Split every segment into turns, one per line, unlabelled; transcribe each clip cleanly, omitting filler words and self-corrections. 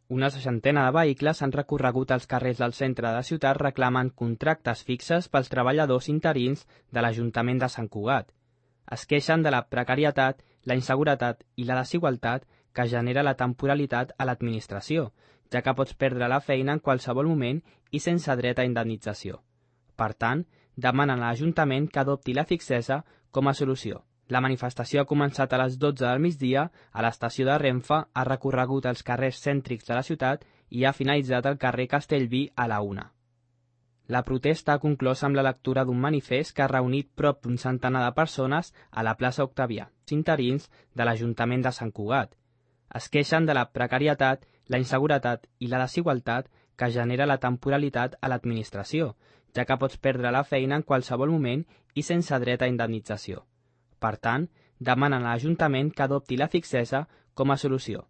Una seixantena de vehicles han recorregut els carrers del centre de la ciutat reclamant contractes fixes pels treballadors interins de l'Ajuntament de Sant Cugat. Es queixen de la precarietat, la inseguretat i la desigualtat que genera la temporalitat a l'administració, ja que pots perdre la feina en qualsevol moment i sense dret a indemnització. Per tant, demanen a l'Ajuntament que adopti la fixesa com a solució. La manifestació ha començat a les 12 del migdia a l'estació de Renfe, ha recorregut els carrers cèntrics de la ciutat i ha finalitzat al carrer Castellví a la 1. La protesta ha conclòs amb la lectura d'un manifest que ha reunit prop d'un centenar de persones a la plaça Octavià, interins de l'Ajuntament de Sant Cugat. Es queixen de la precarietat, la inseguretat i la desigualtat que genera la temporalitat a l'administració, ja que pots perdre la feina en qualsevol moment i sense dret a indemnització. Per tant, demanen a l'Ajuntament que adopti la fixesa com a solució.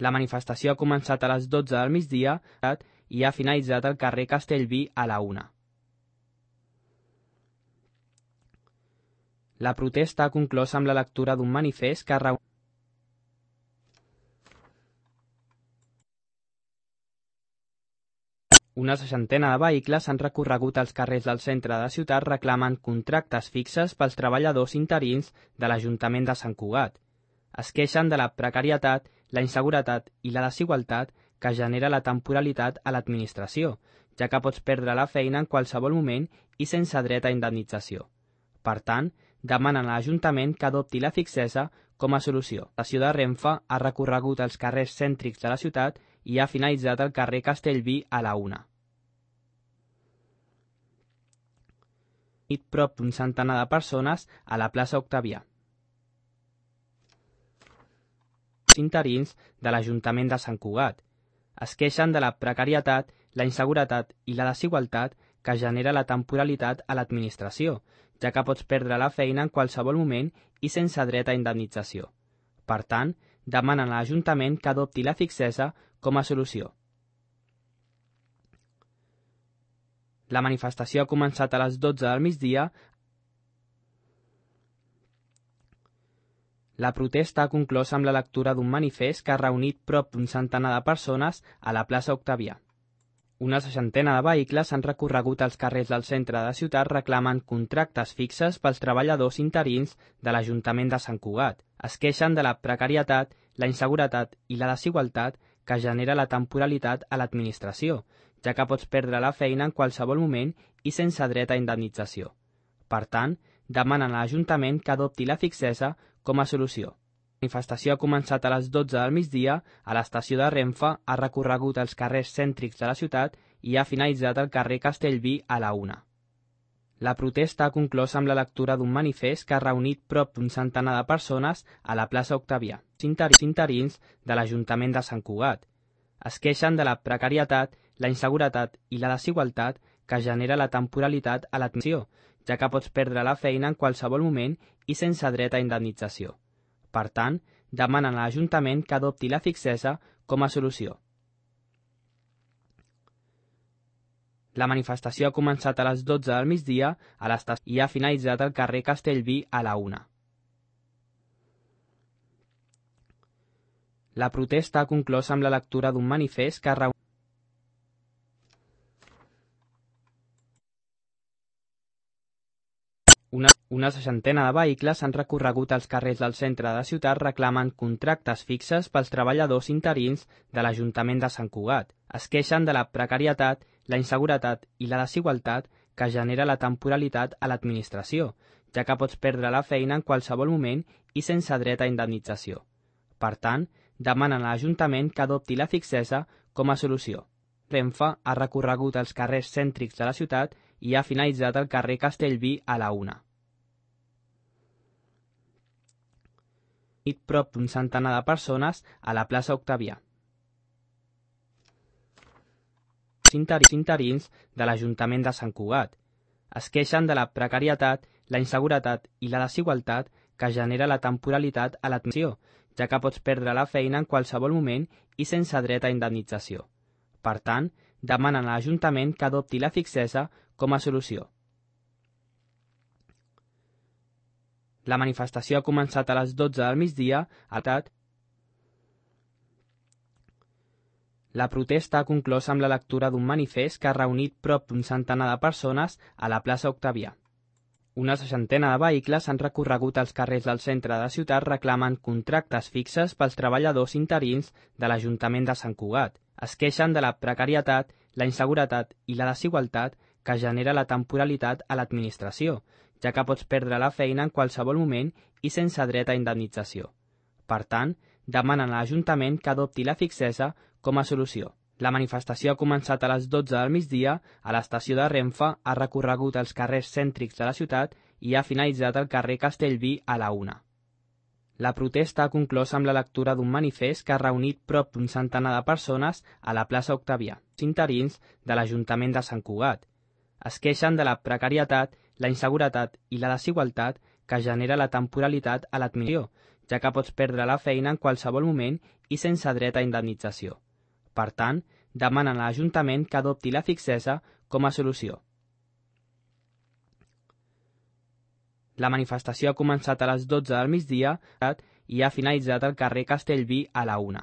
La manifestació ha començat a les 12 del migdia i ha finalitzat al carrer Castellví a la 1. La protesta ha conclòs amb la lectura d'un manifest que ha reunit una seixantena de vehicles han recorregut els carrers del centre de la ciutat reclamant contractes fixes pels treballadors interins de l'Ajuntament de Sant Cugat. Es queixen de la precarietat, la inseguretat i la desigualtat que genera la temporalitat a l'administració, ja que pots perdre la feina en qualsevol moment i sense dret a indemnització. Per tant, demanen a l'Ajuntament que adopti la fixesa com a solució. L'estació de Renfe ha recorregut els carrers cèntrics de la ciutat i ha finalitzat al carrer Castellví a la 1. Prop d'un centenar de persones a la plaça Octavià, interins de l'Ajuntament de Sant Cugat. Es queixen de la precarietat, la inseguretat i la desigualtat que genera la temporalitat a l'administració, ja que pots perdre la feina en qualsevol moment i sense dret a indemnització. Per tant, demanen a l'Ajuntament que adopti la fixesa com a solució. La manifestació ha començat a les 12 del migdia. La protesta ha conclòs amb la lectura d'un manifest que ha reunit prop d'un centenar de persones a la plaça Octavià. Una seixantena de vehicles han recorregut els carrers del centre de la ciutat reclamant contractes fixes pels treballadors interins de l'Ajuntament de Sant Cugat. Es queixen de la precarietat, la inseguretat i la desigualtat que genera la temporalitat a l'administració, ja que pots perdre la feina en qualsevol moment i sense dret a indemnització. Per tant, demanen a l'Ajuntament que adopti la fixesa com a solució. La manifestació ha començat a les 12 del migdia a l'estació de Renfe, ha recorregut els carrers cèntrics de la ciutat i ha finalitzat al carrer Castellví a la 1. La protesta ha conclòs amb la lectura d'un manifest que ha reunit prop d'un centenar de persones a la plaça Octavià, interins de l'Ajuntament de Sant Cugat. Es queixen de la precarietat, la inseguretat i la desigualtat que genera la temporalitat a l'administració, ja que pots perdre la feina en qualsevol moment i sense dret a indemnització. Per tant, demanen a l'Ajuntament que adopti la fixesa com a solució. La manifestació ha començat a les 12 del migdia a l'estació i ha finalitzat al carrer Castellví a la 1. La protesta ha conclòs amb la lectura d'un manifest que ha reunit una seixantena de vehicles han recorregut els carrers del centre de la ciutat reclamant contractes fixes pels treballadors interins de l'Ajuntament de Sant Cugat. Es queixen de la precarietat, la inseguretat i la desigualtat que genera la temporalitat a l'administració, ja que pots perdre la feina en qualsevol moment i sense dret a indemnització. Per tant, demanen a l'Ajuntament que adopti la fixesa com a solució. Renfe ha recorregut els carrers cèntrics de la ciutat i ha finalitzat al carrer Castellví a la 1. Prop d'un centenar de persones a la plaça Octavià, interins de l'Ajuntament de Sant Cugat. Es queixen de la precarietat, la inseguretat i la desigualtat que genera la temporalitat a l'administració, ja que pots perdre la feina en qualsevol moment i sense dret a indemnització. Per tant, demanen a l'Ajuntament que adopti la fixesa com a solució. La manifestació ha començat a les 12 del migdia a La protesta ha conclòs amb la lectura d'un manifest que ha reunit prop d'un centenar de persones a la plaça Octavià. Una seixantena de vehicles han recorregut els carrers del centre de la ciutat reclamant contractes fixes pels treballadors interins de l'Ajuntament de Sant Cugat. Es queixen de la precarietat, la inseguretat i la desigualtat que genera la temporalitat a l'administració, ja que pots perdre la feina en qualsevol moment i sense dret a indemnització. Per tant, demanen a l'Ajuntament que adopti la fixesa com a solució. La manifestació ha començat a les 12 del migdia a l'estació de Renfe, ha recorregut els carrers cèntrics de la ciutat i ha finalitzat al carrer Castellví a la 1. La protesta ha conclòs amb la lectura d'un manifest que ha reunit prop d'un centenar de persones a la plaça Octavià, interins de l'Ajuntament de Sant Cugat. Es queixen de la precarietat, la inseguretat i la desigualtat que genera la temporalitat a l'admissió, ja que pots perdre la feina en qualsevol moment i sense dret a indemnització. Per tant, demanen a l'Ajuntament que adopti la fixesa com a solució. La manifestació ha començat a les 12 del migdia i ha finalitzat al carrer Castellví a la 1.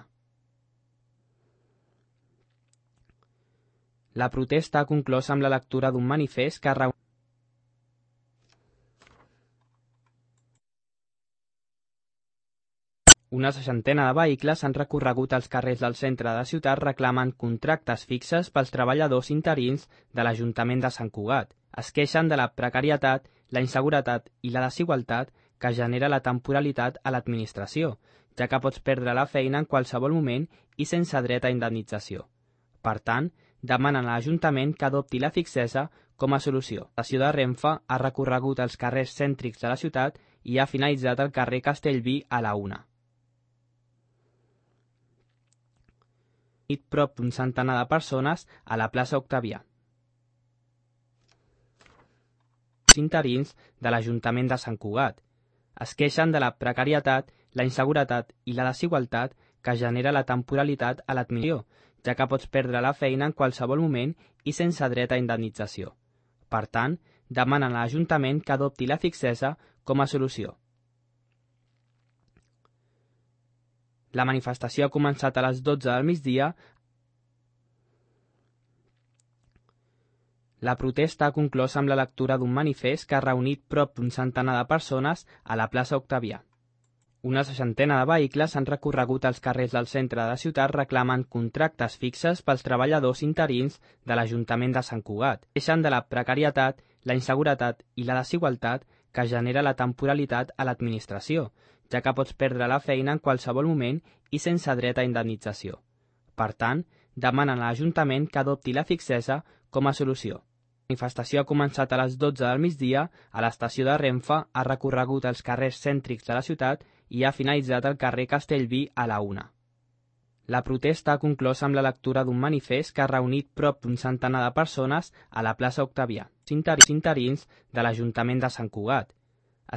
La protesta ha conclòs amb la lectura d'un manifest que ha reunit una seixantena de vehicles han recorregut els carrers del centre de la ciutat reclamant contractes fixes pels treballadors interins de l'Ajuntament de Sant Cugat. Es queixen de la precarietat, la inseguretat i la desigualtat que genera la temporalitat a l'administració, ja que pots perdre la feina en qualsevol moment i sense dret a indemnització. Per tant, demanen a l'Ajuntament que adopti la fixesa com a solució. L'estació de Renfe ha recorregut els carrers cèntrics de la ciutat i ha finalitzat al carrer Castellví a la 1. Prop d'un centenar de persones a la plaça Octavià. Interins de l'Ajuntament de Sant Cugat. Es queixen de la precarietat, la inseguretat i la desigualtat que genera la temporalitat a l'admissió, ja que pots perdre la feina en qualsevol moment i sense dret a indemnització. Per tant, demanen a l'Ajuntament que adopti la fixesa com a solució. La manifestació ha començat a les 12 del migdia. La protesta ha conclòs amb la lectura d'un manifest que ha reunit prop d'un centenar de persones a la plaça Octavià. Una seixantena de vehicles han recorregut els carrers del centre de la ciutat reclamant contractes fixes pels treballadors interins de l'Ajuntament de Sant Cugat. Queixen de la precarietat, la inseguretat i la desigualtat que genera la temporalitat a l'administració, ja que pots perdre la feina en qualsevol moment i sense dret a indemnització. Per tant, demanen a l'Ajuntament que adopti la fixesa com a solució. La manifestació ha començat a les 12 del migdia a l'estació de Renfe, ha recorregut els carrers cèntrics de la ciutat i ha finalitzat al carrer Castellví a la 1. La protesta ha conclòs amb la lectura d'un manifest que ha reunit prop d'un centenar de persones a la plaça Octavià, interins de l'Ajuntament de Sant Cugat.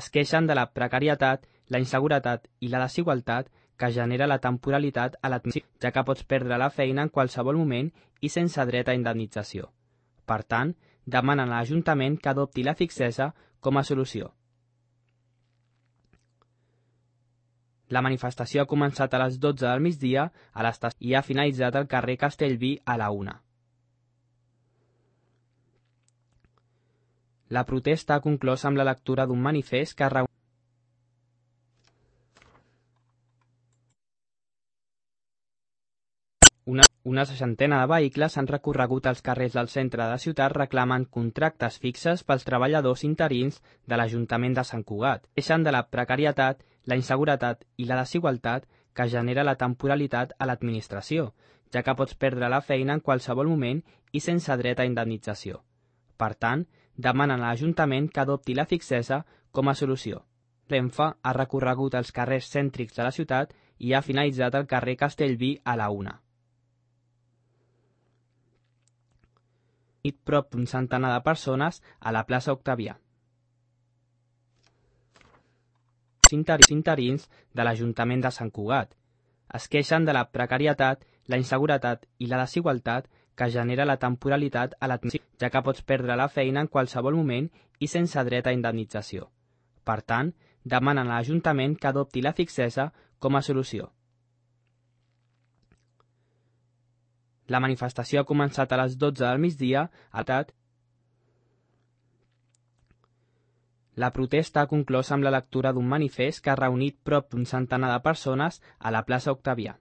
Es queixen de la precarietat, la inseguretat i la desigualtat que genera la temporalitat a l'admissió, ja que pots perdre la feina en qualsevol moment i sense dret a indemnització. Per tant, demanen a l'Ajuntament que adopti la fixesa com a solució. La manifestació ha començat a les 12 del migdia a l'estació i ha finalitzat al carrer Castellví a la 1. La protesta ha conclòs amb la lectura d'un manifest que ha reunit una seixantena de vehicles han recorregut els carrers del centre de la ciutat reclamant contractes fixes pels treballadors interins de l'Ajuntament de Sant Cugat. Queixen de la precarietat, la inseguretat i la desigualtat que genera la temporalitat a l'administració, ja que pots perdre la feina en qualsevol moment i sense dret a indemnització. Per tant, demanen a l'Ajuntament que adopti la fixesa com a solució. Renfe ha recorregut els carrers cèntrics de la ciutat i ha finalitzat al carrer Castellví a la 1. Prop d'un centenar de persones a la plaça Octavià. Interins de l'Ajuntament de Sant Cugat. Es queixen de la precarietat, la inseguretat i la desigualtat que genera la temporalitat a l'admissió, ja que pots perdre la feina en qualsevol moment i sense dret a indemnització. Per tant, demanen a l'Ajuntament que adopti la fixesa com a solució. La manifestació ha començat a les 12 del migdia a TAT. La protesta ha conclòs amb la lectura d'un manifest que ha reunit prop d'un centenar de persones a la plaça Octavià.